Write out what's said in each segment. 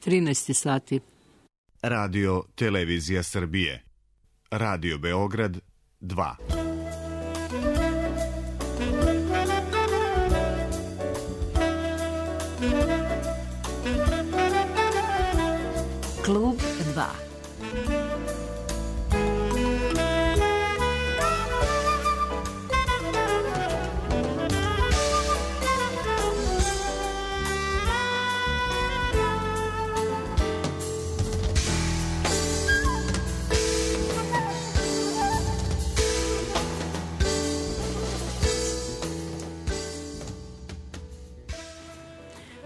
13 sati. Radio Televizija Srbije. Radio Beograd 2. Klub 2.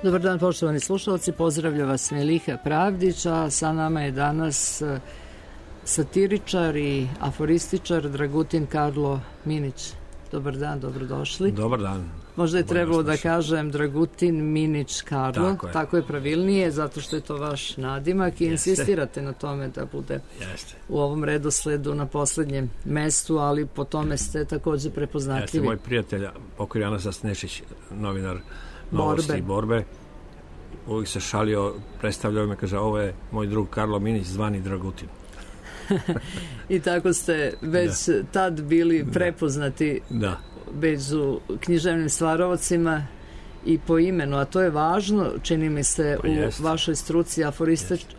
Dobar dan, poštovani slušalci, pozdravlja vas Meliha Pravdić, a sa nama je danas satiričar i aforističar Dragutin Karlo Minić. Dobar dan, dobrodošli. Dobar dan. Možda je trebalo da kažem Dragutin Minić Karlo, tako je pravilnije, zato što je to vaš nadimak i insistirate na tome da bude u ovom redosledu na poslednjem mestu, ali po tome ste takođe prepoznatljivi. Jeste, moj prijatelj, pokoj Janasa Snešić, novinar Novosti Borbe, uvijek se šalio, predstavljao me, kaže, ovo je moj drug Karlo Minić, zvani Dragutin. I tako ste već tad bili prepoznati među književnim stvarovacima i po imenu, a to je važno, čini mi se, u vašoj struci.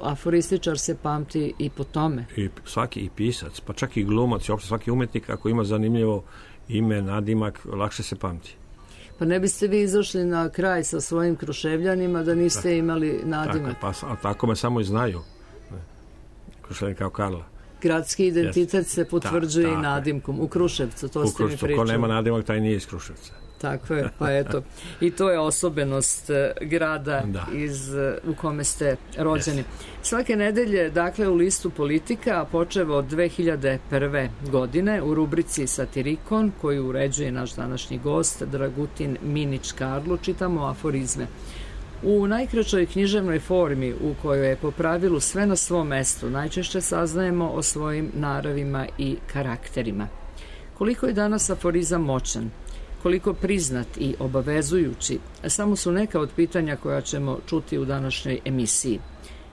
Aforističar se pamti i po tome. I svaki i pisac, pa čak i glumac i uopšte svaki umetnik, ako ima zanimljivo ime, nadimak, lakše se pamti. Pa ne biste vi izašli na kraj sa svojim Kruševljanima da niste imali nadimak. A tako me samo i znaju. Kruševljani kao Karla. Gradski identitet se potvrđuje i nadimkom. U Kruševcu, to ste mi pričali. Ko nema nadimak, taj nije iz Kruševca. Tako je, pa eto. I to je osobenost grada u kome ste rođeni. Svake nedelje, dakle, u listu Politika, počev od 2001. godine, u rubrici Satirikon, koju uređuje naš današnji gost, Dragutin Minić Karlo, čitamo aforizme. U najkraćoj književnoj formi, u kojoj je po pravilu sve na svom mestu, najčešće saznajemo o svojim naravima i karakterima. Koliko je danas aforizam moćan? Koliko priznat i obavezujući, samo su neka od pitanja koja ćemo čuti u današnjoj emisiji.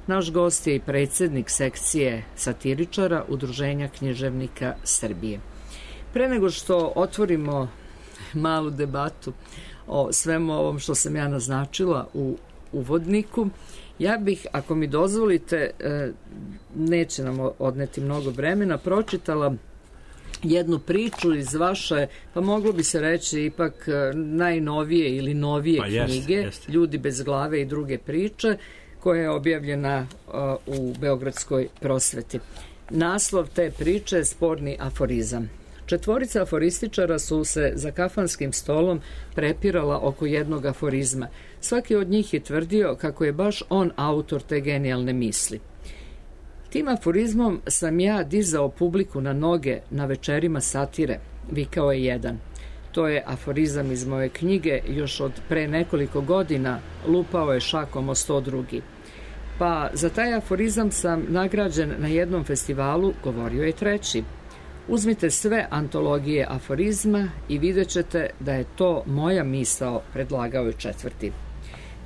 Naš gost je i predsjednik sekcije satiričara Udruženja književnika Srbije. Pre nego što otvorimo malu debatu o svemu ovom što sam ja naznačila u uvodniku, ja bih, ako mi dozvolite, neće nam odneti mnogo vremena, pročitala jednu priču iz vaše, pa moglo bi se reći ipak najnovije ili novije knjige, Ljudi bez glave i druge priče, koja je objavljena u Beogradskoj prosveti. Naslov te priče je Sporni aforizam. 4 aforističara su se za kafanskim stolom prepirala oko jednog aforizma. Svaki od njih je tvrdio kako je baš on autor te genijalne misli. Tim aforizmom sam ja dizao publiku na noge na večerima satire, vikao je jedan. To je aforizam iz moje knjige, još od pre nekoliko godina lupao je šakom o 100 drugi. Pa za taj aforizam sam nagrađen na jednom festivalu, govorio je treći. Uzmite sve antologije aforizma i vidjet ćete da je to moja misao, predlagao je četvrti.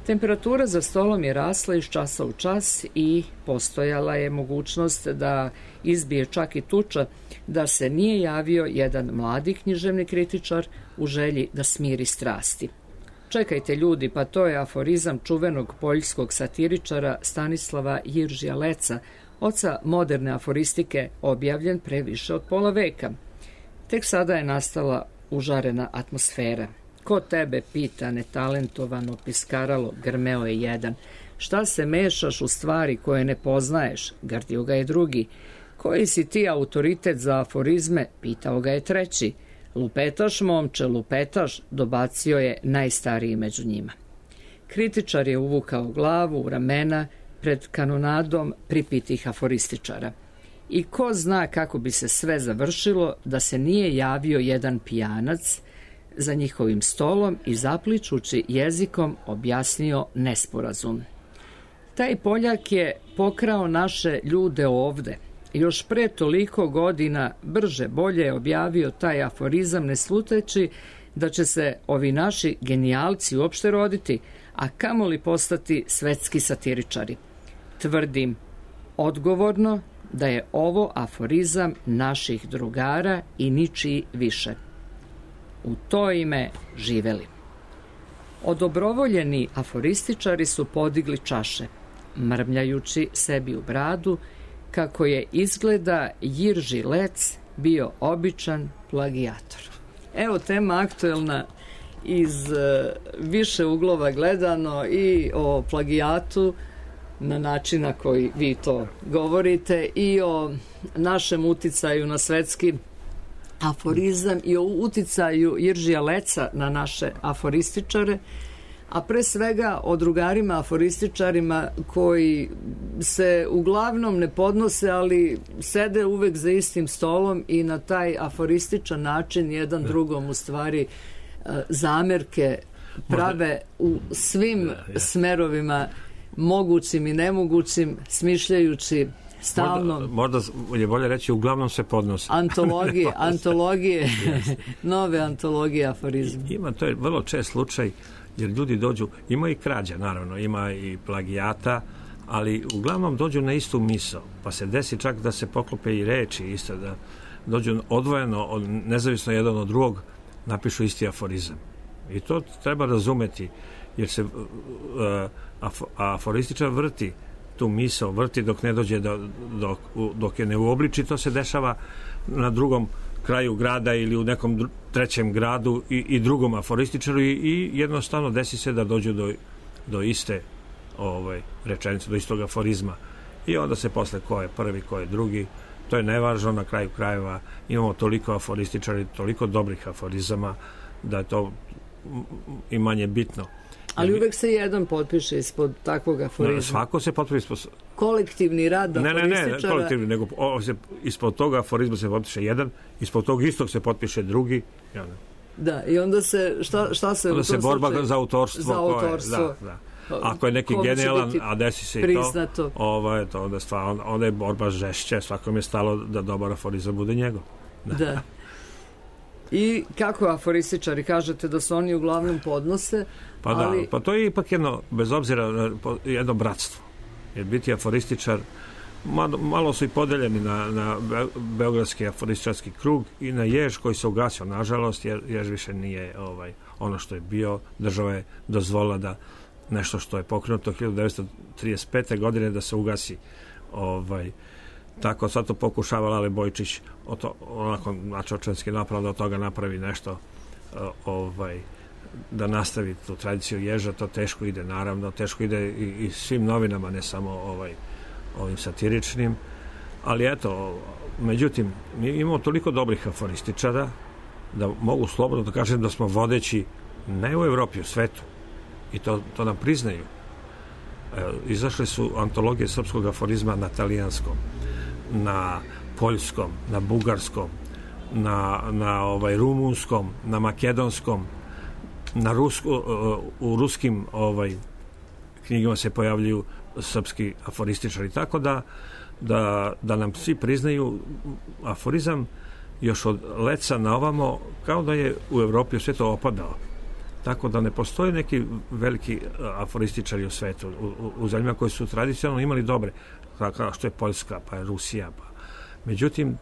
Temperatura za stolom je rasla iz časa u čas i postojala je mogućnost da izbije čak i tuča da se nije javio jedan mladi književni kritičar u želji da smiri strasti. Čekajte ljudi, pa to je aforizam čuvenog poljskog satiričara Stanislava Jiržija Leca, oca moderne aforistike, objavljen pre više od pola veka. Tek sada je nastala užarena atmosfera. Ko tebe pita, netalentovano piskaralo, grmeo je jedan. Šta se mešaš u stvari koje ne poznaješ, gardio ga je drugi. Koji si ti autoritet za aforizme, pitao ga je treći. Lupetaš, momče, lupetaš, dobacio je najstariji među njima. Kritičar je uvukao glavu u ramena pred kanonadom pripitih aforističara. I ko zna kako bi se sve završilo da se nije javio jedan pijanac za njihovim stolom i zapličući jezikom objasnio nesporazum. Taj Poljak je pokrao naše ljude ovde. Još pre toliko godina brže bolje objavio taj aforizam, ne sluteći da će se ovi naši genijalci uopšte roditi, a kamoli postati svetski satiričari. Tvrdim odgovorno da je ovo aforizam naših drugara i ničiji više. U to ime živeli. Odobrovoljeni aforističari su podigli čaše, mrmljajući sebi u bradu kako je izgleda Jirži Lec bio običan plagijator. Evo tema aktuelna iz više uglova gledano i o plagijatu na način na koji vi to govorite i o našem uticaju na svetski aforizam i o uticaju Jiržija Leca na naše aforističare, a pre svega o drugarima aforističarima koji se uglavnom ne podnose, ali sede uvek za istim stolom i na taj aforističan način jedan drugom u stvari zamerke prave u svim smerovima mogućim i nemogućim, smišljajući stalno. Možda je bolje reći uglavnom se podnose. Antologije, nove antologije aforizma. Ima, to je vrlo čest slučaj, jer ljudi dođu, ima i krađa naravno, ima i plagijata, ali uglavnom dođu na istu misao, pa se desi čak da se poklope i reči isto, da dođu odvojeno, nezavisno jedan od drugog, napišu isti aforizam. I to treba razumeti, jer se aforističar vrti tu misao, vrti dok ne dođe dok je ne uobliči. To se dešava na drugom kraju grada ili u nekom trećem gradu i drugom aforističaru i jednostavno desi se da dođu do iste rečenice, do istog aforizma. I onda se posle ko je prvi, ko je drugi, to je nevažno. Na kraju krajeva imamo toliko aforističara, toliko dobrih aforizama da je to i manje bitno. Ali uvek se jedan potpiše ispod takvog aforizma. Svako se potpiše ispod... Kolektivni rad aforističara... Ne, kolektivni, nego ispod toga aforizma se potpiše jedan, ispod tog istog se potpiše drugi. Da, i onda se... Šta se... Onda se borba za autorstvo. Za autorstvo. Da. Ako je neki genijalan, a desi se priznato. I to, onda je borba žešće, svakom je stalo da dobar aforizam bude njegov. Da. I kako aforističari kažete da su oni uglavnom podnose? Pa to je ipak jedno, bez obzira, jedno bratstvo. Jer biti aforističar, malo su i podeljeni na Beogradski aforističarski krug i na Jež koji se ugasio, nažalost, jer Jež više nije ono što je bio. Država je dozvolila da nešto što je pokrenuto 1935. godine da se ugasi. Tako sad to pokušava Lale Bojčić onako načočanski napravo da od toga napravi nešto da nastavi tu tradiciju Ježa. To teško ide, naravno, teško ide i svim novinama, ne samo ovim satiričnim, ali eto, međutim, mi imamo toliko dobrih aforističara da mogu slobodno da kažem da smo vodeći ne u Evropi, u svetu, i to nam priznaju. Izašle su antologije srpskog aforizma na talijanskom, na poljskom, na bugarskom, na rumunskom, na makedonskom, u ruskim knjigama se pojavljuju srpski aforističari, tako da nam svi priznaju aforizam još od Leca na ovamo, kao da je u Evropi u svijetu opadao. Tako da ne postoje neki veliki aforističari u svetu, u zemljama koji su tradicionalno imali dobre, kao što je Poljska, pa je Rusija. Međutim,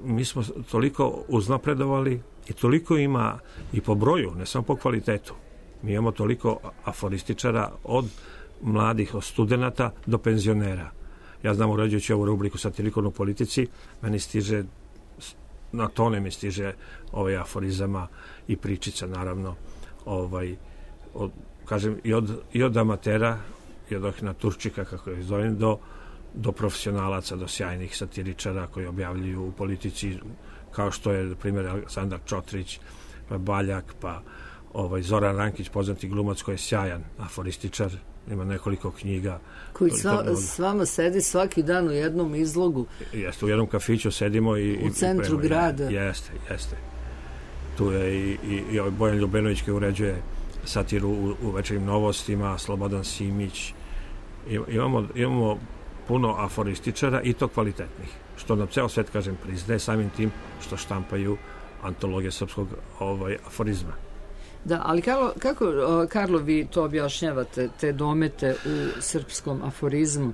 mi smo toliko uznapredovali i toliko ima i po broju, ne samo po kvalitetu. Mi imamo toliko aforističara od mladih, od studenata do penzionera. Ja znam, uređujući ovu rubriku Satirikom u politici, meni stiže, na tone mi stiže aforizama i pričica, naravno, kažem, i od amatera, i od Turčika, kako ih zovem, do profesionalaca, do sjajnih satiričara koji objavljuju u politici, kao što je, na primjer, Aleksandar Čotrić, pa Baljak, pa Zoran Rankić, poznati glumac koji je sjajan aforističar, ima nekoliko knjiga. Koji s vama sedi svaki dan u jednom izlogu. Jeste, u jednom kafiću sedimo u centru grada. Jeste. Tu je i Bojan Ljubenović koji uređuje satiru u Večernjim novostima, Slobodan Simić. Imamo puno aforističara i to kvalitetnih, što nam ceo svet, kažem, priznaje samim tim što štampaju antologije srpskog aforizma. Da, ali kako, Karlo, vi to objašnjavate, te domete u srpskom aforizmu?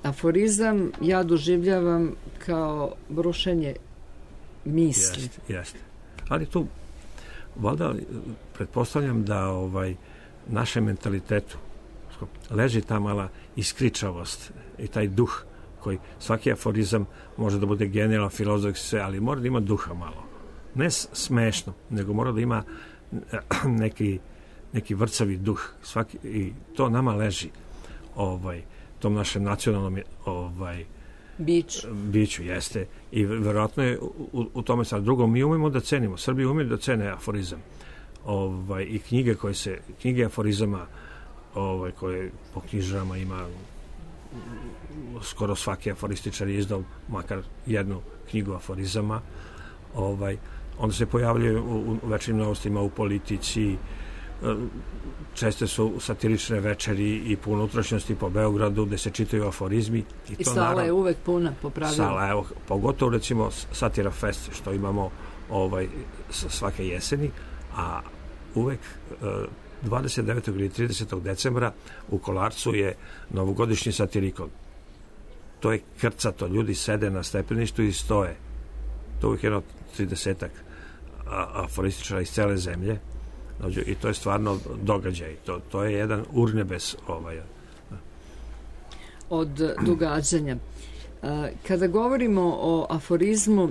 Aforizam ja doživljavam kao brušenje misli. Jeste. Ali tu, valjda, pretpostavljam da našem mentalitetu leži ta mala iskričavost i taj duh koji svaki aforizam može da bude genijalan, filozofski sve, ali mora da ima duha malo. Ne smešno, nego mora da ima neki vrcavi duh. I to nama leži tom našem nacionalnom biću jeste. I verovatno je u tome sad. Drugo, mi umemo da cenimo, Srbi umeju da cene aforizam. I knjige aforizama koje po knjižarama ima, skoro svaki aforističar je izdao makar jednu knjigu aforizama. Onda se pojavljaju u večernjim novostima, u politici, česte su satirične večeri i po unutrašnjosti po Beogradu gde se čitaju aforizmi. I sala je uvek puna, po pravilu. Sala, evo, pogotovo recimo Satira Fest, što imamo svake jeseni, a uvek 29. ili 30. decembra u Kolarcu je novogodišnji satirikon. To je krcato, ljudi sede na stepeništu i stoje. To uvijek jedno 30-ak aforističara iz cele zemlje i to je stvarno događaj. To je jedan urnebes od događanja. Kada govorimo o aforizmu,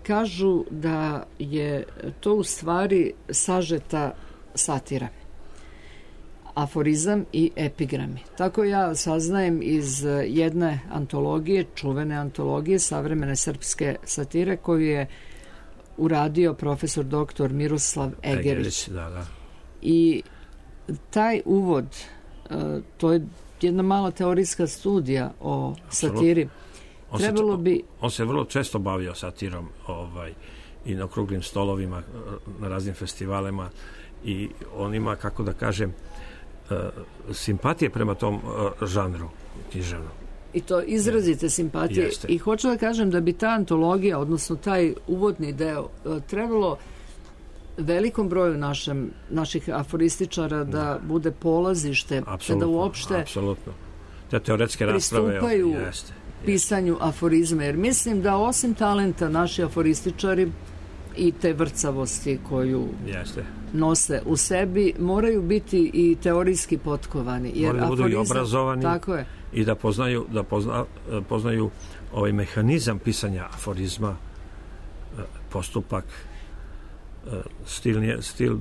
kažu da je to u stvari sažeta satira. Aforizam i epigrami. Tako ja saznajem iz jedne antologije, čuvene antologije savremene srpske satire koju je uradio profesor doktor Miroslav Egerić. Da. I taj uvod, to je jedna mala teorijska studija o satiri. On se vrlo često bavio satirom i na okruglim stolovima, na raznim festivalima i on ima, kako da kažem, simpatije prema tom žanru književnom. I to izrazite simpatije. Jeste. I hoću da kažem da bi ta antologija, odnosno taj uvodni deo, trebalo velikom broju naših aforističara da bude polazište, da uopšte te teoretske rasprave pristupaju pisanju aforizma. Jer mislim da osim talenta naši aforističari i te vrcavosti koju nose u sebi, moraju biti i teorijski potkovani. Jer moraju da budu i obrazovani. Tako je. I da poznaju ovaj mehanizam pisanja aforizma, postupak, stil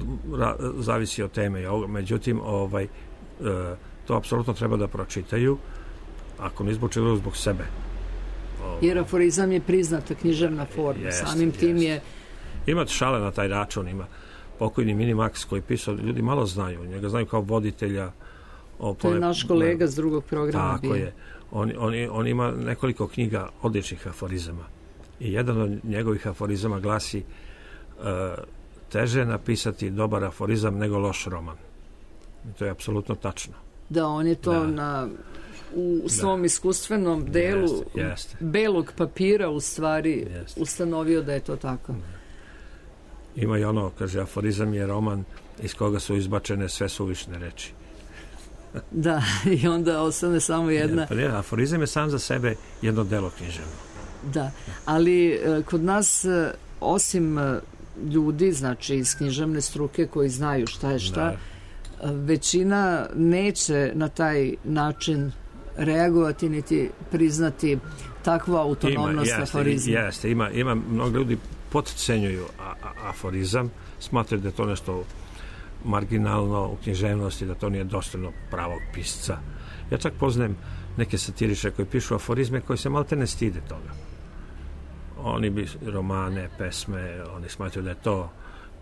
zavisi od teme. Međutim, to apsolutno treba da pročitaju, ako ne zbog čega, zbog sebe. Jer aforizam je priznata književna forma. Samim tim je... Ima šale na taj račun, ima pokojni Minimax koji pisao, ljudi malo znaju, njega znaju kao voditelja. To je naš kolega s drugog programa. Tako je. On ima nekoliko knjiga odličnih aforizama. I jedan od njegovih aforizama glasi teže je napisati dobar aforizam nego loš roman. I to je apsolutno tačno. Da, on je to u svom iskustvenom delu belog papira u stvari ustanovio da je to tako. Ima i ono, kaže, aforizam je roman iz koga su izbačene sve suvišne reči. Da, i onda ostane samo jedna... Aforizam je sam za sebe jedno delo književno. Da, ali kod nas, osim ljudi, znači iz književne struke koji znaju šta je šta, većina neće na taj način reagovati niti priznati takvu autonomnost aforizma. Ima mnogo ljudi podcenjuju aforizam, smatraju da je to nešto marginalno u književnosti, da to nije dostojno pravog pisca. Ja čak poznajem neke satiriče koji pišu aforizme koji se malte ne stide toga. Oni bi romane, pesme, oni smatraju da je to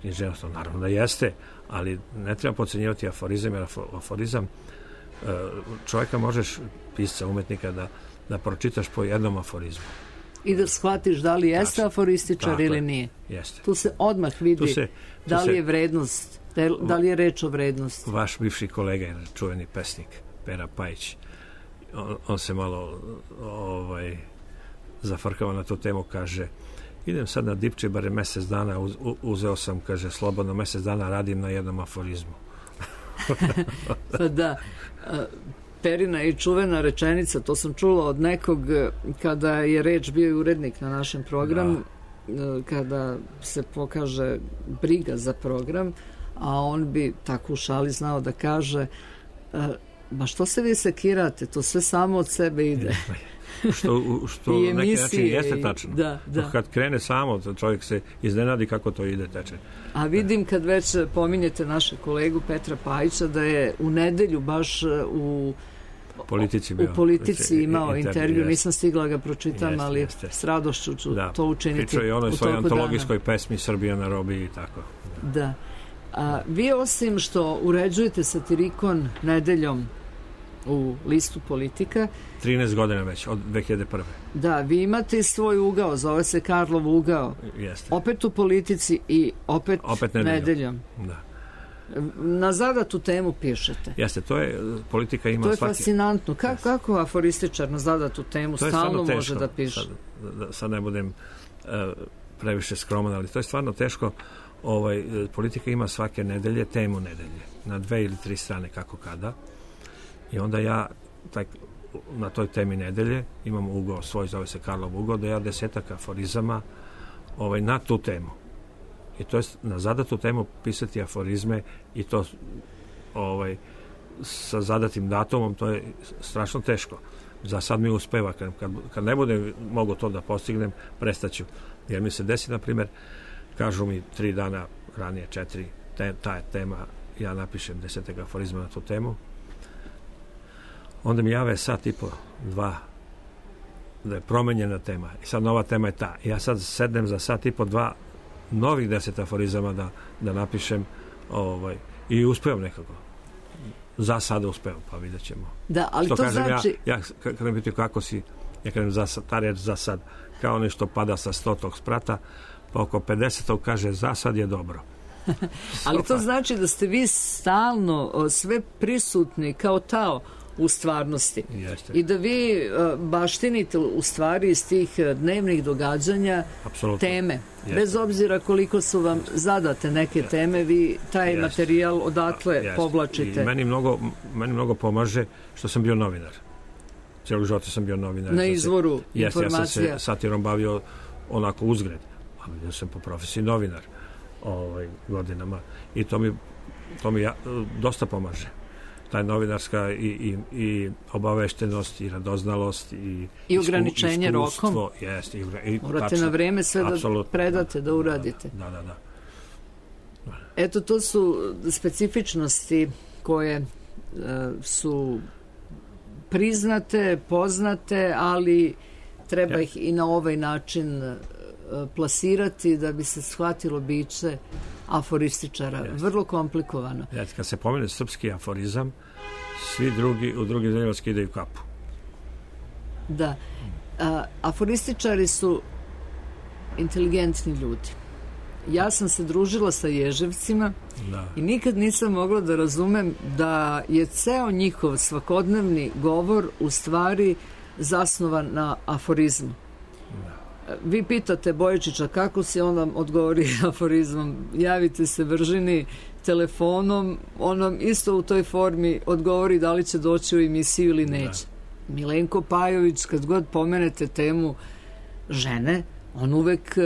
književnost, naravno da jeste, ali ne treba podcenjivati aforizam, jer aforizam čovjeka možeš, pisca, umetnika, da pročitaš po jednom aforizmu. I da shvatiš da li jeste aforističar ili nije. Jeste. Tu se odmah vidi da li je vrednost, da li je reč o vrednosti. Vaš bivši kolega je čuveni pesnik, Pera Pajić. On se malo zafrkava na tu temu, kaže idem sad na Dipči, bare mesec dana, uzeo sam, kaže, slobodno mesec dana radim na jednom aforizmu. Pa da, Perina i čuvena rečenica, to sam čula od nekog kada je reč bio i urednik na našem programu, kada se pokaže briga za program, a on bi tako u šali znao da kaže ma što se vi sekirate, to sve samo od sebe ide. što na neki način jeste tačno. Da. Kad krene samo, čovjek se iznenadi kako to ide, teče. A vidim kad već pominjete našeg kolegu Petra Pajića da je u nedelju baš u Politici imao intervju, nisam stigla ga pročitam, ali s radošću ću to učiniti. Pričao je ono svoj antologijskoj pesmi Srbija na robiji i tako. Da. A vi osim što uređujete satirikon nedeljom u listu Politika 13 godina već, od 2001. Da, vi imate svoj ugao, zove se Karlov ugao. Jeste. Opet u Politici i opet nedeljom. Da. Na zadatu temu pišete. Jeste, to je, Politika ima svaki... To je fascinantno. Kako aforističar na zadatu temu stalno može da piše? Sad ne budem previše skroman, ali to je stvarno teško. Politika ima svake nedelje temu nedelje. Na 2 ili 3 strane, kako kada. I onda ja na toj temi nedelje imam ugao svoj, zove se Karlov ugao, da ja 10 aforizama na tu temu. I to je na zadatu temu pisati aforizme i to sa zadatim datumom, to je strašno teško. Za sad mi uspeva. Kad ne budem mogu to da postignem, prestaću. Jer mi se desi, na primjer, kažu mi 3 dana ranije, 4, ta je tema, ja napišem 10 aforizma na tu temu. Onda mi jave sat i po, 2, da je promenjena tema. I sad nova tema je ta. Ja sad sednem za sat i po, 2 novih 10 aforizama da napišem i uspevam nekako. Za sada uspevam, pa vidjet ćemo. Da, ali to znači... Ja kad mi pitaju kako si, ja kažem ta reč za sad, kao nešto pada sa 100. sprata, pa oko 50. kaže za sad je dobro. Ali to znači da ste vi stalno sve prisutni kao tao u stvarnosti. Jeste. I da vi baštinite u stvari iz tih dnevnih događanja teme. Jeste. Bez obzira koliko su vam zadate neke teme, vi taj materijal odatle povlačite. I meni mnogo pomaže što sam bio novinar. Cijelo života sam bio novinar. Na izvoru informacija. Ja sam se satirom bavio onako uzgred. A ja sam po profesiji novinar godinama. I to mi dosta pomaže. Ta novinarska i obaveštenost i radoznalost i ograničenje rokom. Morate na vreme sve da predate, da uradite. Da. Eto, to su specifičnosti koje su priznate, poznate, ali treba ih i na ovaj način plasirati da bi se shvatilo biće aforističara. Vrlo komplikovano. Kad se pomene srpski aforizam, svi drugi u drugim zemljama skidaju kapu. Da. Aforističari su inteligentni ljudi. Ja sam se družila sa Ježevcima i nikad nisam mogla da razumem da je ceo njihov svakodnevni govor u stvari zasnovan na aforizmu. Vi pitate Bojičića kako si, on vam odgovori aforizmom. Javite se Vržini telefonom, on vam isto u toj formi odgovori da li će doći u emisiju ili neće. Milenko Pajović, kad god pomenete temu žene, on uvek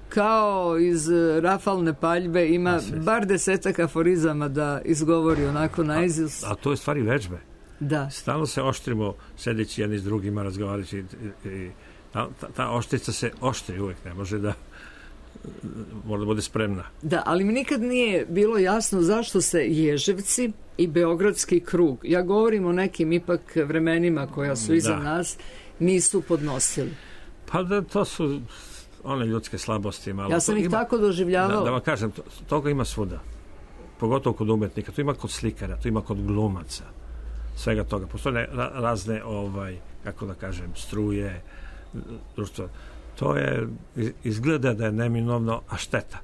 kao iz rafalne paljbe ima bar 10 aforizama da izgovori onako naizust. A to je stvari vežbe. Da. Stalno se oštrimo sedeći jedni s drugima, razgovarajući i ta oštrica se oštri uvek, ne može da mora da bude spremna. Da, ali mi nikad nije bilo jasno zašto se Ježevci i Beogradski krug, ja govorim o nekim ipak vremenima koja su iza nas, nisu podnosili. Pa da, to su one ljudske slabosti. Malo. Ja sam ih tako doživljavala. Da vam kažem, toga ima svuda. Pogotovo kod umetnika. To ima kod slikara, to ima kod glumaca. Svega toga. Postoje razne, kako da kažem, struje, društvo. To je, izgleda da je neminovno, a šteta.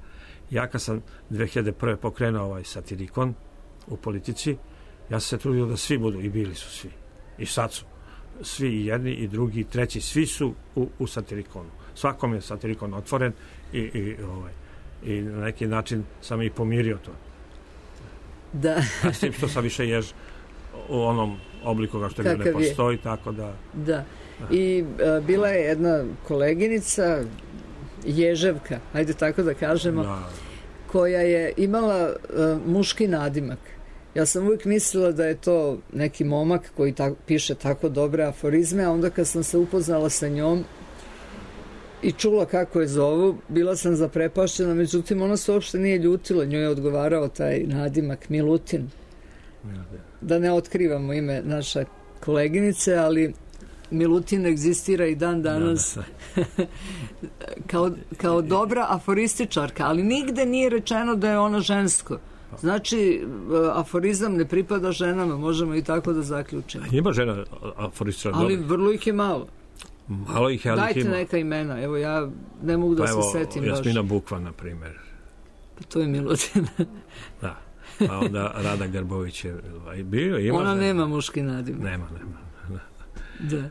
Ja kad sam 2001. pokrenuo ovaj satirikon u Politici, ja sam se trudio da svi budu, i bili su svi. I sad su. Svi, i jedni, i drugi, i treći, svi su u satirikonu. svakom je satirikon otvoren i na neki način sam i pomirio to. Da. A s tim što sam više jež u onom obliku kao što je ne postoji, tako da... Da. I bila je jedna koleginica, Ježevka, ajde tako da kažemo, koja je imala muški nadimak. Ja sam uvijek mislila da je to neki momak koji piše tako dobre aforizme, a onda kad sam se upoznala sa njom i čula kako je zovu, bila sam zaprepašćena, međutim ona se uopšte nije ljutila, njoj je odgovarao taj nadimak Milutin. Da ne otkrivamo ime naše koleginice, ali Milutin egzistira i dan danas kao dobra aforističarka, ali nigde nije rečeno da je ona žensko. Znači, aforizam ne pripada ženama, možemo i tako da zaključimo. Ima žena aforističara? Ali vrlo ih je malo. Malo ih je, ali dajte neka imena, evo ja ne mogu da se setim baš. Jasmina Bukva, na primjer. Pa to je Milutin. Da, pa onda Rada Garbović je bio. Ona nema muški nadimak. Nema. Da.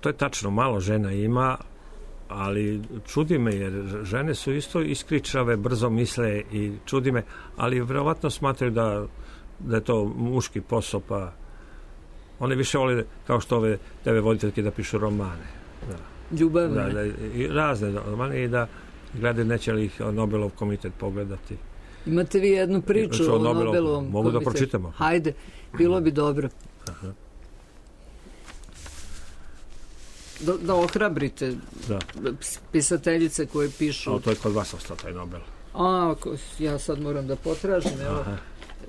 To je tačno, malo žena ima, ali čudi me jer žene su isto iskričave, brzo misle i čudi me, ali vjerovatno smatraju da je to muški posao, pa one više vole kao što ove TV voditeljke da pišu romane. Ljubavne. I razne romane i da gledaju neće li ih Nobelov komitet pogledati. Imate vi jednu priču o Nobelovom komitetu? Mogu da pročitamo. Hajde, bilo bi dobro. Aha. Da ohrabrite pisateljice koje pišu. To je kod vas ostao taj Nobel. Ja sad moram da potražim, evo.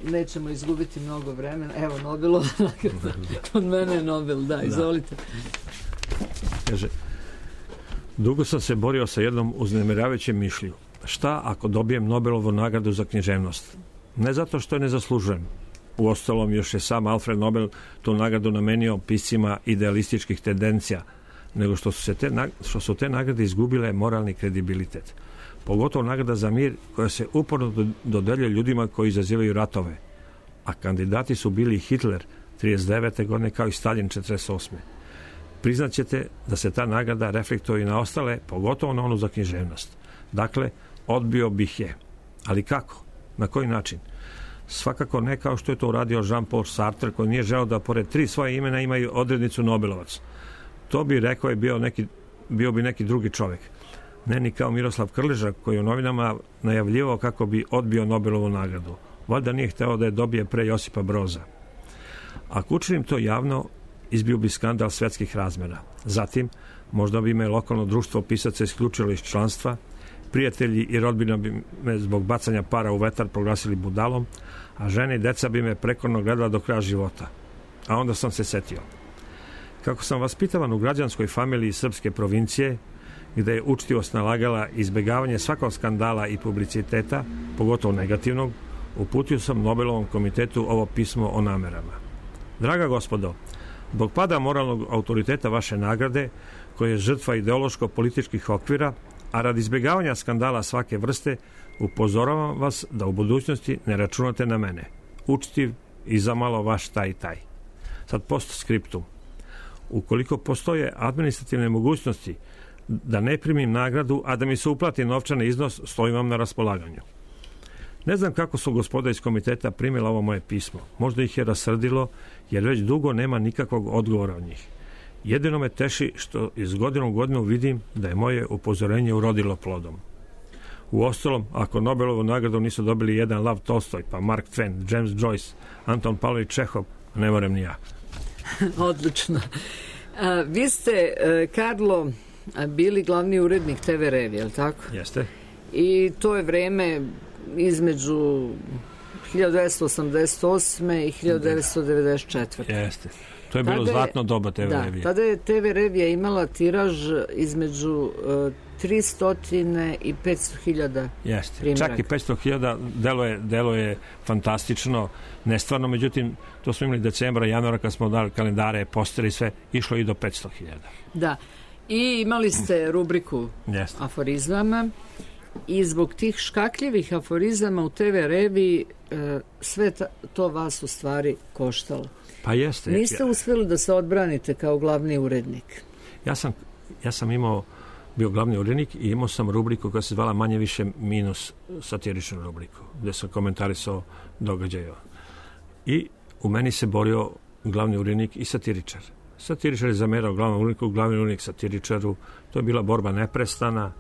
Nećemo izgubiti mnogo vremena. Evo, Nobelova nagrada. Od mene je Nobel, da, izvolite. Kaže, dugo sam se borio sa jednom uznemiravajućem mišlju. Šta ako dobijem Nobelovu nagradu za književnost? Ne zato što je ne zaslužujem. Uostalom, još je sam Alfred Nobel tu nagradu namenio piscima idealističkih tendencija, nego što su te nagrade izgubile moralni kredibilitet. Pogotovo nagrada za mir koja se uporno dodeljuje ljudima koji izazivaju ratove. A kandidati su bili Hitler 39. godine kao i Stalin 48. Priznaćete da se ta nagrada reflektuje i na ostale, pogotovo na onu za književnost. Dakle, odbio bih je. Ali kako? Na koji način? Svakako ne kao što je to uradio Jean-Paul Sartre, koji nije želeo da pored 3 svoje imena imaju odrednicu Nobelovac. To bi rekao je bio bi neki drugi čovjek. Ne ni kao Miroslav Krleža, koji u novinama najavljivao kako bi odbio Nobelovu nagradu. Valjda nije hteo da je dobije pre Josipa Broza. Ako učinim to javno, izbio bi skandal svetskih razmjera. Zatim, možda bi me lokalno društvo pisaca isključilo iz članstva, prijatelji i rodbina bi me zbog bacanja para u vetar proglasili budalom, a žene i deca bi me prekorno gledala do kraja života. A onda sam se setio. Kako sam vaspitavan u građanskoj familiji srpske provincije, gde je učtivost nalagala izbjegavanje svakog skandala i publiciteta, pogotovo negativnog, uputio sam Nobelovom komitetu ovo pismo o namerama. Draga gospodo, zbog pada moralnog autoriteta vaše nagrade, koje je žrtva ideološko-političkih okvira, a radi izbjegavanja skandala svake vrste, upozoravam vas da u budućnosti ne računate na mene. Učtiv i zamalo vaš taj i taj. Sad postskriptum. Ukoliko postoje administrativne mogućnosti da ne primim nagradu, a da mi se uplati novčani iznos, stojim vam na raspolaganju. Ne znam kako su gospoda iz komiteta primila ovo moje pismo. Možda ih je rasrdilo, jer već dugo nema nikakvog odgovora od njih. Jedino me teši što iz godine u godinu vidim da je moje upozorenje urodilo plodom. Uostalom, ako Nobelovu nagradu nisu dobili jedan Lav Tolstoj, pa Mark Twain, James Joyce, Anton Pavlović Čehov, ne moram ni ja. Odlično. Vi ste, Karlo, bili glavni urednik TV Revije, je li tako? Jeste. I to je vreme između 1988. i 1994. Jeste. To je bilo zlatno doba TV Revije. Tada je TV Revija imala tiraž između 300 i 500.000 primjeraka. Čak i 500.000 delo je fantastično, nestvarno, međutim, to smo imali decembra, januara, kad smo dali kalendare, posteri i sve, išlo i do 500.000. Da. I imali ste rubriku aforizama i zbog tih škakljivih aforizama u TV Reviji sve to vas u stvari koštalo. Pa jeste. Niste uspjeli da se odbranite kao glavni urednik. Ja sam ja sam bio glavni urednik i imao sam rubriku koja se zvala manje više minus satiričnu rubriku, gde sam komentarisao događaje. I u meni se borio glavni urednik i satiričar. Satiričar je zamerao glavnom uredniku, glavni urednik satiričaru. To je bila borba neprestana.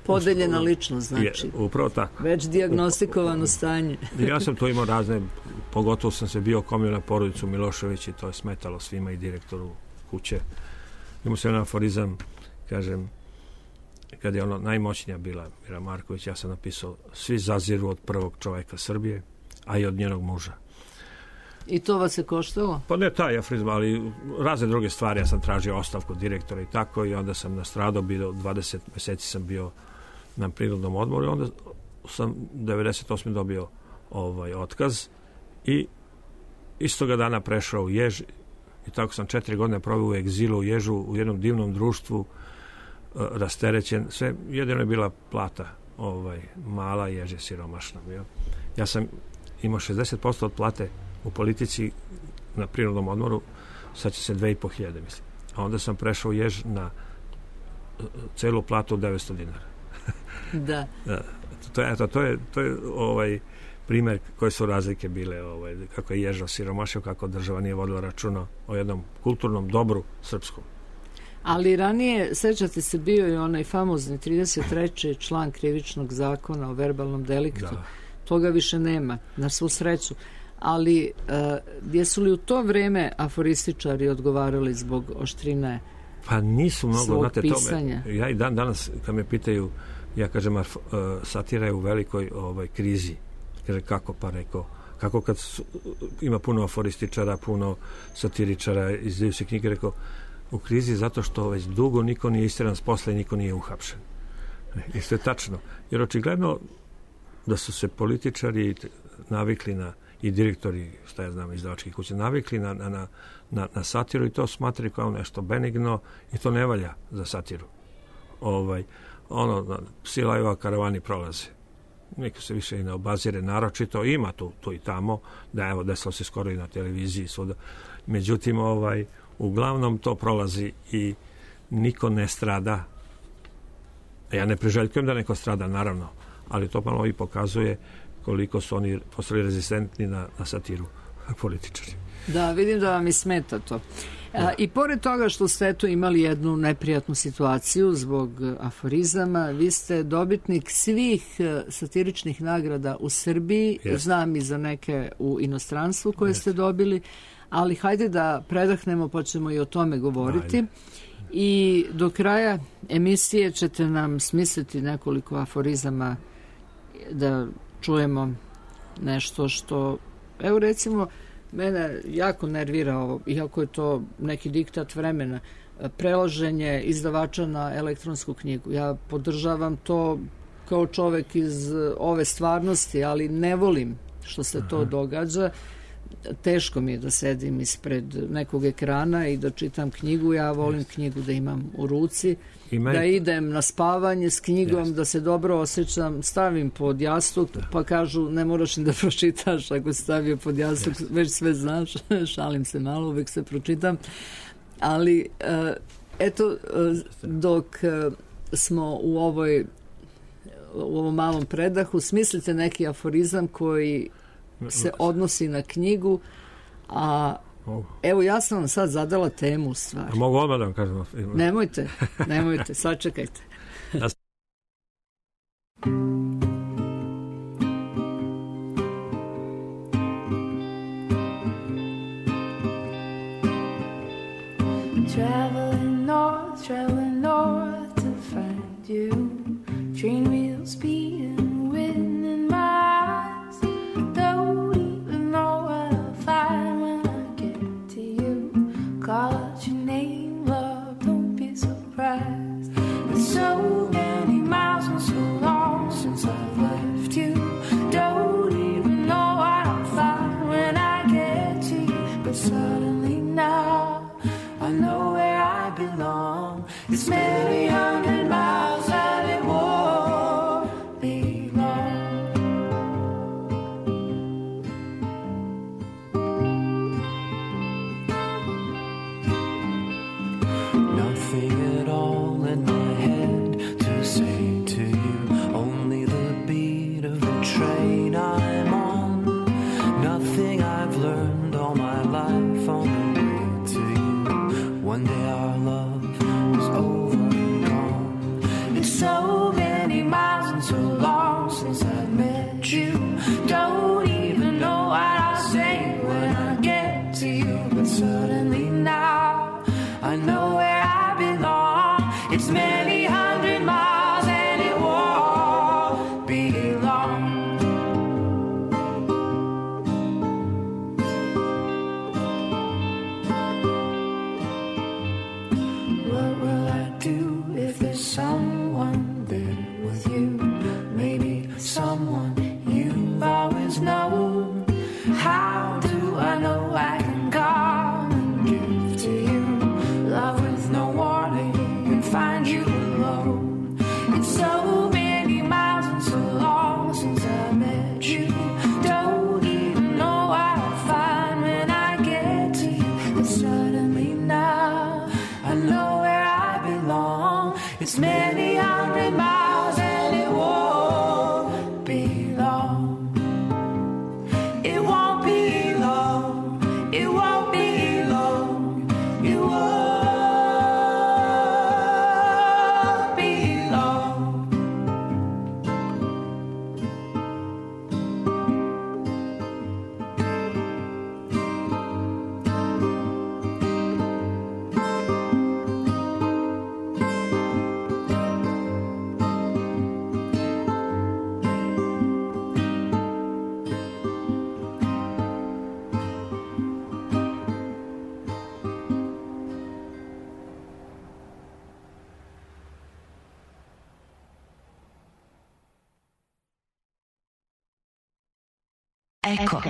Podeljena ličnost, znači. Upravo tako. Već dijagnostikovano stanje. Ja sam to imao razne, pogotovo sam se bio okomio na porodicu Milošević i to je smetalo svima i direktoru kuće. Imao sam jedan aforizam, kažem, kad je ono najmoćnija bila Mira Marković, ja sam napisao: svi zaziru od prvog čoveka Srbije, a i od njenog muža. I to vas je koštalo? Pa ne taj aforizam, ali razne druge stvari. Ja sam tražio ostavku direktora i tako, i onda sam nastradao, 20 meseci sam bio na prirodnom odmoru i onda sam 98. dobio otkaz i istoga dana prešao u Jež i tako sam 4 godine proveo u egzilu u Ježu, u jednom divnom društvu, rasterećen. Sve, jedino je bila plata mala, Jež je siromašna bio. Ja sam imao 60% od plate u politici na prirodnom odmoru, sad će se 2500, mislim. A onda sam prešao u Jež na celu platu od 900 dinara. Da. To je primer koje su razlike bile, kako je Jež osiromašio, kako država nije vodila računa o jednom kulturnom dobru srpskom. Ali ranije, sećate se, bio je onaj famozni 33. član krivičnog zakona o verbalnom deliktu. Da. Toga više nema, na svu sreću. Ali jesu li u to vreme aforističari odgovarali zbog oštrine pa nisu mnogo, svog znate, pisanja? Ja i dan danas, kad me pitaju, ja kažem, satira je u velikoj krizi. Kaže, kako? Pa rekao, kako kad ima puno aforističara, puno satiričara, izdaju se knjige, rekao, u krizi zato što već dugo niko nije istjeran s posla i niko nije uhapšen. Isto je tačno. Jer očigledno da su se političari navikli i direktori, šta ja znam, izdavačkih kuća, navikli na satiru i to smatraju kao nešto benigno i to ne valja za satiru. Psi laju, a karavani prolaze. Niko se više i ne obazire, naročito ima tu i tamo, da evo, desilo se skoro i na televiziji svuda. Međutim, uglavnom to prolazi i niko ne strada. Ja ne priželjkujem da neko strada, naravno, ali to malo i pokazuje koliko su oni postali rezistentni na satiru političari. Da, vidim da vam i smeta to. I pored toga što ste imali jednu neprijatnu situaciju zbog aforizama, vi ste dobitnik svih satiričnih nagrada u Srbiji, znam i za neke u inostranstvu koje ste dobili, ali hajde da predahnemo pa ćemo i o tome govoriti. I do kraja emisije ćete nam smisliti nekoliko aforizama da čujemo nešto što, evo recimo, mene jako nervira ovo, iako je to neki diktat vremena, prelaženje izdavača na elektronsku knjigu. Ja podržavam to kao čovek iz ove stvarnosti, ali ne volim što se to događa. Teško mi je da sedim ispred nekog ekrana i da čitam knjigu. Ja volim knjigu da imam u ruci, da idem na spavanje s knjigom, da se dobro osjećam, stavim pod jastuk, pa kažu ne moraš ni da pročitaš ako si stavio pod jastuk, već sve znaš. Šalim se malo, uvek se pročitam. Ali eto, dok smo u ovom malom predahu, smislite neki aforizam koji se odnosi na knjigu, a evo ja sam vam sad zadala temu u stvari. Mogu odmah da vam kažem? Nemojte, sačekajte. Traveling north to find you. Train wheels speeding, wind in my eyes. Don't even know what I'll find when I get to you. Call out your name, love, don't be surprised. There's so many miles and so long since I've left you. Don't even know what I'll find when I get to you. But suddenly now I know where I learned all my life on the way to you. One day our love was over and gone. It's so many miles and so long since I met you. Don't even know what I'll say when I get to you. But suddenly now I know where I belong. It's many hundred miles and it won't be long. What will I do if there's someone there with you? Maybe someone you've always known. How do I know I can come and give to you love with no warning and find you alone? It's so many miles and so long since I met you. Don't even know what I'll find when I get to you. But suddenly now I know where I belong. It's many hundred miles and it won't be long. It won't be long. It won't be long. It won't be long. Eko.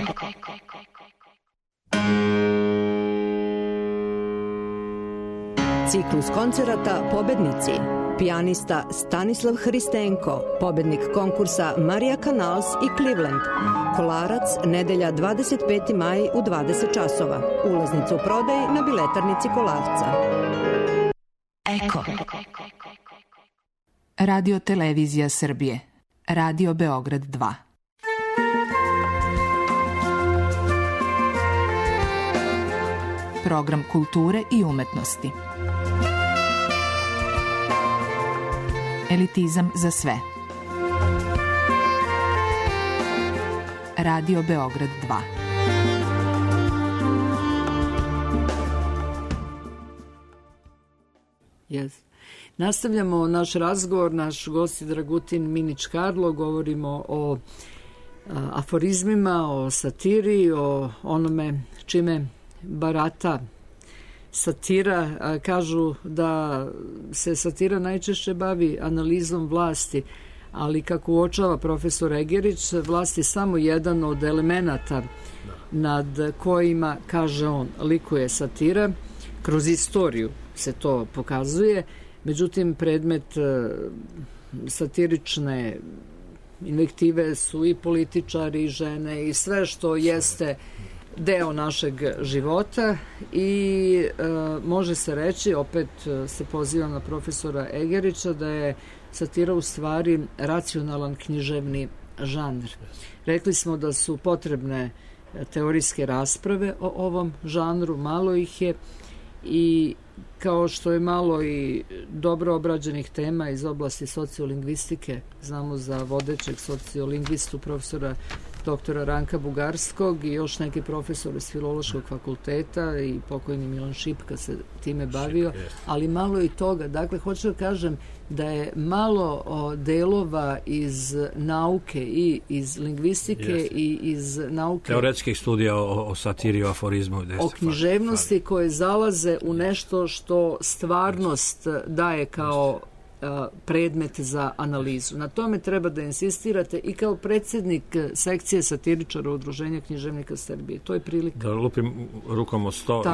Ciklus koncerata Pobednici. Pijanista Stanislav Hristenko, pobednik konkursa Marija Canals i Cleveland. Kolarac, nedelja 25. maj u 20 časova. Ulaznica u prodaj na biletarnici Kolarca. Eko. Radio Televizija Srbije. Radio Beograd 2. Program kulture i umetnosti. Elitizam za sve. Radio Beograd 2. Yes. Nastavljamo naš razgovor, naš gost je Dragutin Minić Karlo, govorimo o aforizmima, o satiri, o onome čime barata satira. Kažu da se satira najčešće bavi analizom vlasti, ali kako uočava profesor Egerić, vlast je samo jedan od elemenata nad kojima, kaže on, likuje satira. Kroz istoriju se to pokazuje. Međutim, predmet satirične invektive su i političari, i žene, i sve što jeste deo našeg života i može se reći, opet se pozivam na profesora Egerića, da je satira u stvari racionalan književni žanr. Rekli smo da su potrebne teorijske rasprave o ovom žanru, malo ih je, i kao što je malo i dobro obrađenih tema iz oblasti sociolingvistike, znamo za vodećeg sociolingvistu profesora doktora Ranka Bugarskog i još neki profesor iz Filološkog fakulteta i pokojni Milan Šipka se time bavio, ali malo i toga. Dakle, hoću da kažem da je malo delova iz nauke i iz lingvistike i iz nauke teoretskih studija o satiri, o aforizmu, o književnosti koje zalaze u nešto što stvarnost daje kao predmet za analizu. Na tome treba da insistirate i kao predsjednik sekcije satiričara Udruženja književnika Srbije. To je prilika. Da lupim rukom o sto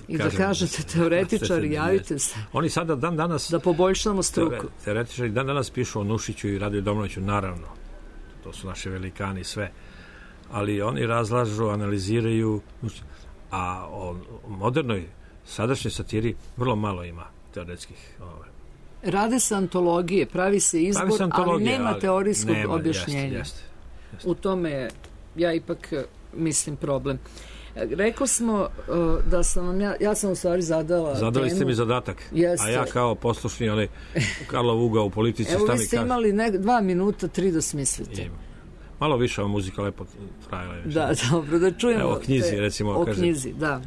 i da kažete teoretičari, javite se. Oni sada dan danas da poboljšamo struku. Teoretičari dan danas pišu o Nušiću i Radoju Domanoviću, naravno. To su naši velikani sve. Ali oni razlažu, analiziraju, a o modernoj sadašnjoj satiri vrlo malo ima teoretskih. Rade se antologije, pravi se izbor, ali nema teorijskog objašnjenja. Jeste. U tome ja ipak mislim, problem. Rekao smo da sam vam ja sam u stvari zadala Zadali temu. ste mi zadatak. Jeste. A ja kao poslušni onaj Karlov ugao u politici. Evo vi ste imali 2 minuta 3 da smislite. Malo više ova muzika lepo trajala. Da, dobro, da čujemo. Evo, knjizi, recimo. O knjizi, da.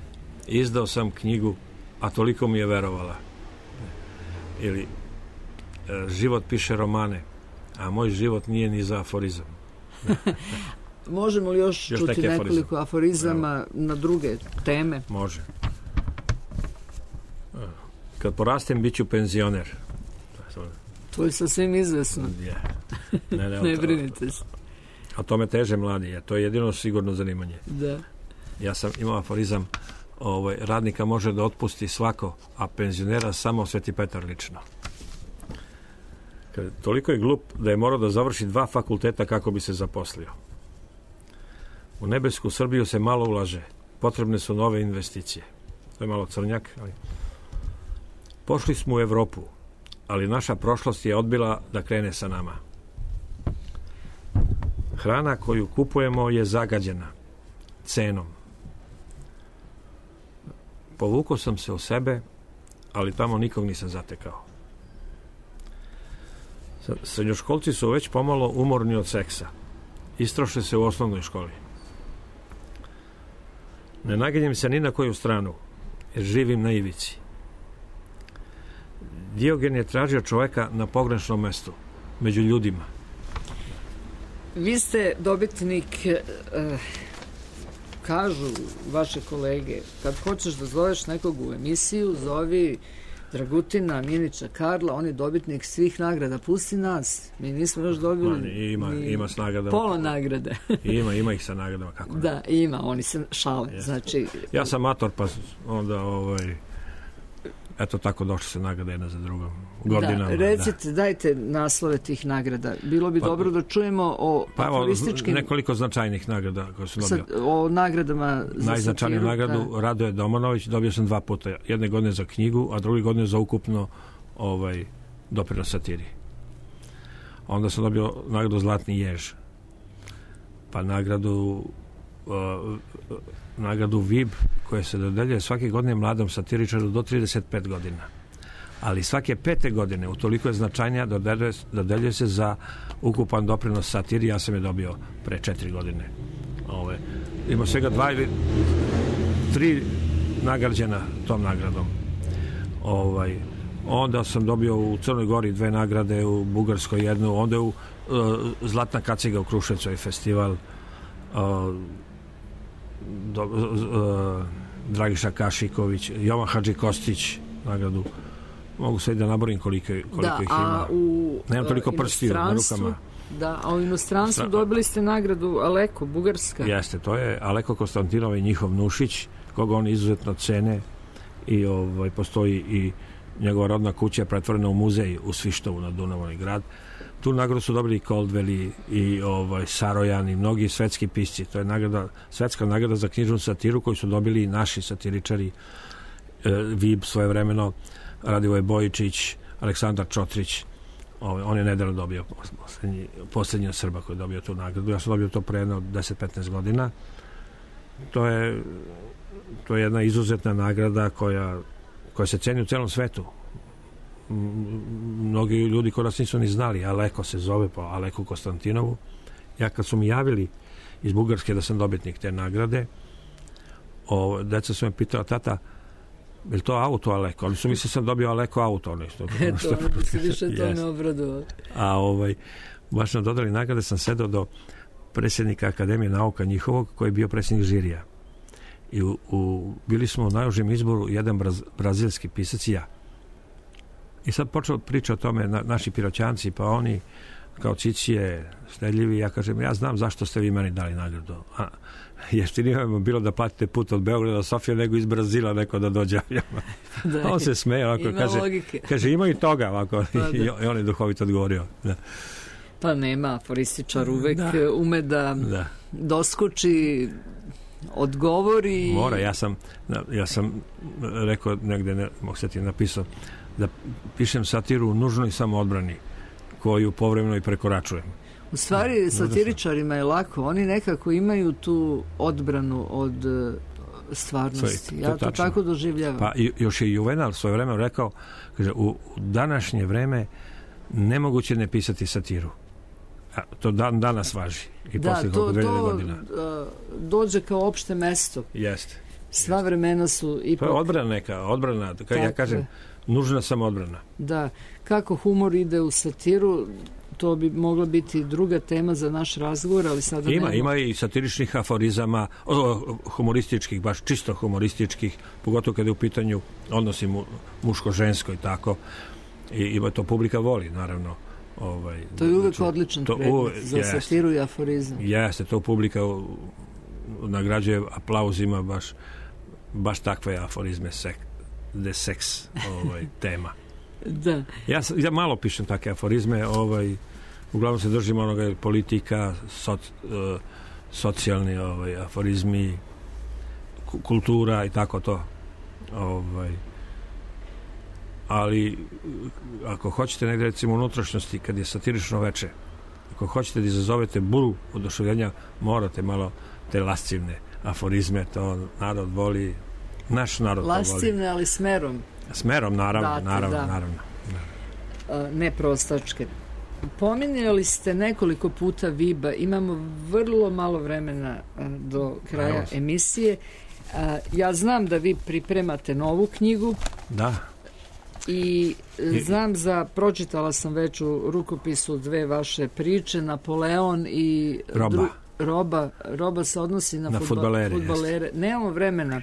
Izdao sam knjigu, a toliko mi je verovala. Ili život piše romane, a moj život nije ni za aforizam. Možemo li još čuti nekoliko aforizama na druge teme? Može. Kad porastem, bit ću penzioner. To je sasvim izvesno. Ne brinite se. A tome teže mladi, to je jedino sigurno zanimanje. Da. Ja sam imao aforizam, radnika može da otpusti svako, a penzionera samo Sveti Petar lično. Toliko je glup da je morao da završi 2 fakulteta kako bi se zaposlio. U nebesku Srbiju se malo ulaže. Potrebne su nove investicije. To je malo crnjak. Ali... Pošli smo u Evropu, ali naša prošlost je odbila da krene sa nama. Hrana koju kupujemo je zagađena cenom. Povukao sam se u sebe, ali tamo nikog nisam zatekao. Srednjoškolci su već pomalo umorni od seksa. Istroše se u osnovnoj školi. Ne naginjem se ni na koju stranu, jer živim na ivici. Diogen je tražio čoveka na pogrešnom mestu, među ljudima. Vi ste dobitnik, kažu vaše kolege, kad hoćeš da zoveš nekog u emisiju, zovi Dragutina, Minića, Karla, on je dobitnik svih nagrada. Pusti nas, mi nismo još dobili ima s nagradama. Pola nagrade. ima ih sa nagradama. Kako ne? Da, ima, oni se šale. Znači, ja sam mator, pa onda eto tako došli se nagrade jedna za drugom. Godinama. Da, recite, dajte naslove tih nagrada. Bilo bi dobro da čujemo o aforističkim... Nekoliko značajnih nagrada koje su dobio. O nagradama za najznačajniju nagradu Radoje Domanović dobio sam 2 puta. Jedne godine za knjigu, a druge godine za ukupno doprinos satiri. Onda sam dobio nagradu Zlatni jež. Pa nagradu VIP koja se dodeljuje svake godine mladom satiričaru do 35 godina. Ali svake 5. godine, utoliko je značajnija, dodeljuje se za ukupan doprinos satiri. Ja sam je dobio pre 4 godine. Ima svega 2 ili 3 nagrađena tom nagradom. Onda sam dobio u Crnoj Gori 2 nagrade, u Bugarskoj 1, onda u Zlatna kaciga u Kruševcu je festival, Dragiša Kašiković, Jovan Hadži Kostić nagradu. Mogu sve da naborim koliko ih ima. Nemam toliko prstiju na rukama. Da, a u inostranstvu dobili ste nagradu Aleko, Bugarska. Jeste, to je Aleko Konstantinov i njihov Nušić, koga oni izuzetno cene i postoji i njegova rodna kuća je pretvorena u muzej u Svištovu na Dunavu grad. Tu nagradu su dobili i Coldwell i Sarojan i mnogi svetski pisci. To je svetska nagrada za knjižnu satiru koju su dobili i naši satiričari, Vib svojevremeno, Radivoj Bojičić, Aleksandar Čotrić. On je nedavno dobio posljednji Srba koji je dobio tu nagradu. Ja sam dobio to pre jedno 10-15 godina. To je jedna izuzetna nagrada koja se ceni u celom svetu. Mnogi ljudi kod nas nisu ni znali. Aleko se zove po Aleku Konstantinovu. Ja kad su mi javili iz Bugarske da sam dobitnik te nagrade, deca su me pitala, tata, je li to auto Aleko? Ali su mislili sam dobio Aleko auto. Eto, ono se više to ne obradilo. A baš nam dodali nagrade, sam sedao do predsjednika Akademije nauka njihovog, koji je bio predsjednik žirija. I bili smo u najužem izboru jedan brazilski pisac i ja. I sad počeo priča o tome naši Piroćanci, pa oni kao Cicije, štedljivi, ja kažem, ja znam zašto ste vi meni dali nagradu. Jeftinije vam bilo da platite put od Beograda do Sofije nego iz Brazila neko da dođe. On se smeje ovako, kaže ima i toga ovako. I on je duhovito odgovorio. Da. Pa nema, aforističar uvek ume da doskoči, odgovori. Mora, ja sam rekao negde, mogu se ti napisao, da pišem satiru u nužnoj samoodbrani, koju povremeno i prekoračujem. U stvari, satiričarima je lako. Oni nekako imaju tu odbranu od stvarnosti. Ja to tako doživljavam. Pa još je Juvenal svoje vreme rekao, kaže, u današnje vreme nemoguće ne pisati satiru. A to danas važi. I da, to dođe kao opšte mesto. Jeste. Sva vremena su ipak... To je odbrana, ja kažem, nužna samo odbrana. Da, kako humor ide u satiru, to bi mogla biti druga tema za naš razgovor, ali sada Ima i satiričnih aforizama, humorističkih, baš čisto humorističkih, pogotovo kada je u pitanju odnosi muško-žensko i tako. I ima to publika voli, naravno. To je uvek odličan predmet za satiru i aforizam. Jeste, to publika nagrađuje aplauzima baš takve aforizme de seks tema. Da. Ja malo pišem takve aforizme, uglavnom se držim onoga politika, socijalni aforizmi, kultura i tako to. Ali ako hoćete negdje, recimo, unutrašnjosti, kad je satirično veče, ako hoćete da izazovete buru oduševljenja, morate malo te lascivne aforizme, to narod voli, naš narod to voli. Lascivne, ali smerom. Smerom, naravno. Ne prostačke. Pominjali ste nekoliko puta Viba, imamo vrlo malo vremena do kraja emisije. Ja znam da vi pripremate novu knjigu. Da. I znam pročitala sam već u rukopisu 2 vaše priče, Napoleon i Roba se odnosi na fudbalere. Nemamo vremena.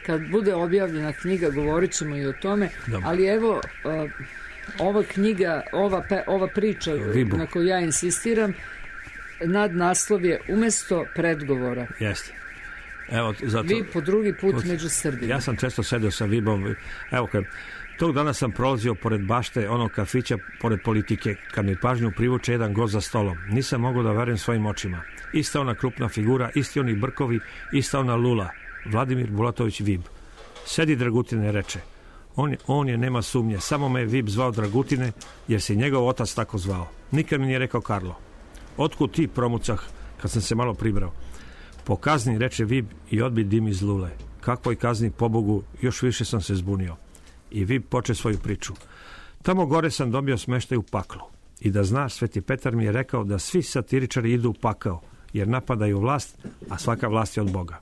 Kad bude objavljena knjiga, govorit ćemo i o tome, ali evo, ova knjiga, ova priča na koju ja insistiram, nadnaslov je Umesto predgovora. Jeste. Evo, zato, vi po drugi put među Srbima. Ja sam često sedeo sa Vibom. Evo, tog dana sam prolazio pored bašte onog kafića, pored politike, kad mi pažnju privuče jedan gost za stolom. Nisam mogao da verujem svojim očima. Ista ona krupna figura, isti oni brkovi, ista ona lula. Vladimir Bulatović Vib. Sedi, Dragutine, reče. On je, nema sumnje, samo me je Vib zvao Dragutine, jer se njegov otac tako zvao. Nikad mi nije rekao Karlo. Otkud ti, promucah, kad sam se malo pribrao? Po kazni, reče Vib, i odbi dim iz lule. Kakvoj kazni, pobogu, još više sam se zbunio. I Vib poče svoju priču. Tamo gore sam dobio smeštaj u paklu. I da znaš, Sveti Petar mi je rekao da svi satiričari idu u pakao, jer napadaju vlast, a svaka vlast je od Boga.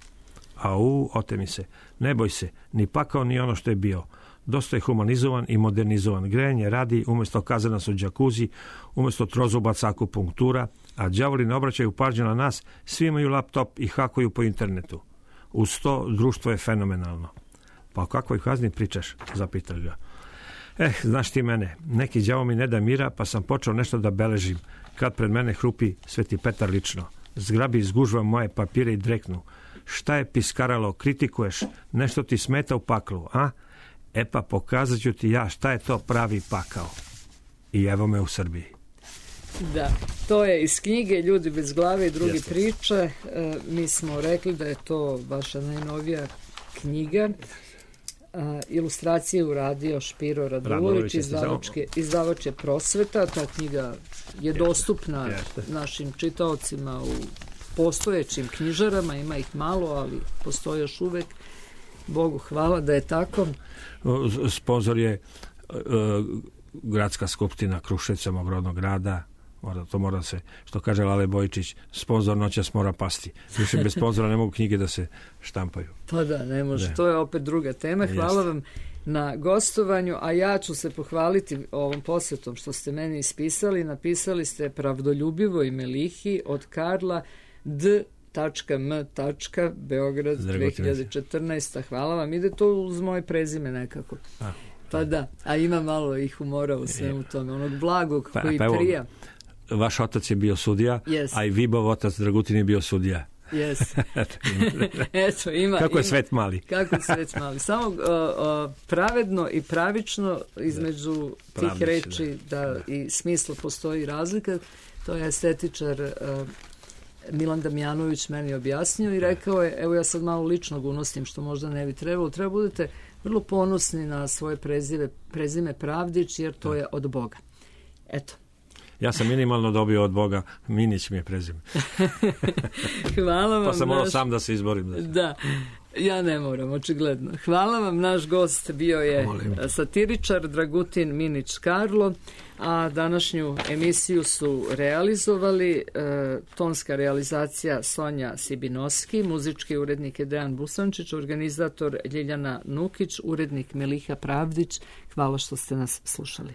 Ote mi se, ne boj se, ni pakao ni ono što je bio. Dosta je humanizovan i modernizovan. Grejanje radi, umjesto kazana su džakuzi, umjesto trozubaca akupunktura, a đavoli ne obraćaju pažnju na nas, svi imaju laptop i hakuju po internetu. Uz to društvo je fenomenalno. Pa o kakvoj kazni pričaš? Zapitao ga. Znaš ti mene, neki đavo mi ne da mira, pa sam počeo nešto da beležim, kad pred mene hrupi Sveti Petar lično. Zgrabi iz gužva moje papire i dreknu. Šta je piskaralo, kritikuješ, nešto ti smeta u paklu, a? Pa pokazat ću ti ja šta je to pravi pakao. I evo me u Srbiji. Da, to je iz knjige Ljudi bez glave i druge priče. Mi smo rekli da je to vaša najnovija knjiga. Ilustracije uradio Špiro Radulović, izdavač je Prosveta. Ta knjiga je dostupna našim čitaocima u postojećim knjižarama, ima ih malo, ali postoje još uvek. Bogu hvala da je tako. Sponzor je Gradska skupština Kruševca, mog rodnog grada. Mora se, što kaže Lale Bojičić, sponzor noćas mora pasti. Više bez sponzora ne mogu knjige da se štampaju. Pa da, ne može. To je opet druga tema. Hvala vam na gostovanju, a ja ću se pohvaliti ovom posvetom što ste meni ispisali. Napisali ste Pravdoljubivo i Melihi od Karla D.M. Beograd 2014. Hvala vam. Ide to uz moje prezime nekako. Pa da, a ima malo i humora u svemu tome. Onog blagog koji prija. Vaš otac je bio sudija, a i Vibov otac Dragutin je bio sudija. Eto, ima. Kako je svet mali. Kako je svet mali. Samo pravedno i pravično između tih reči da i smisla postoji razlika. To je estetičar Milan Damjanović meni objasnio i rekao je, evo ja sad malo ličnog unosim što možda ne bi trebalo. Treba budete vrlo ponosni na svoje prezime Pravdić, jer to je od Boga. Eto. Ja sam minimalno dobio od Boga, Minić mi je prezime. Hvala vam. Pa sam morao sam da se izborim. Da. Ja ne moram, očigledno. Hvala vam, naš gost bio je satiričar Dragutin Minić Karlo, a današnju emisiju su realizovali tonska realizacija Sonja Sibinoski, muzički urednik je Dejan Busančić, organizator Ljiljana Nukić, urednik Miliha Pravdić. Hvala što ste nas slušali.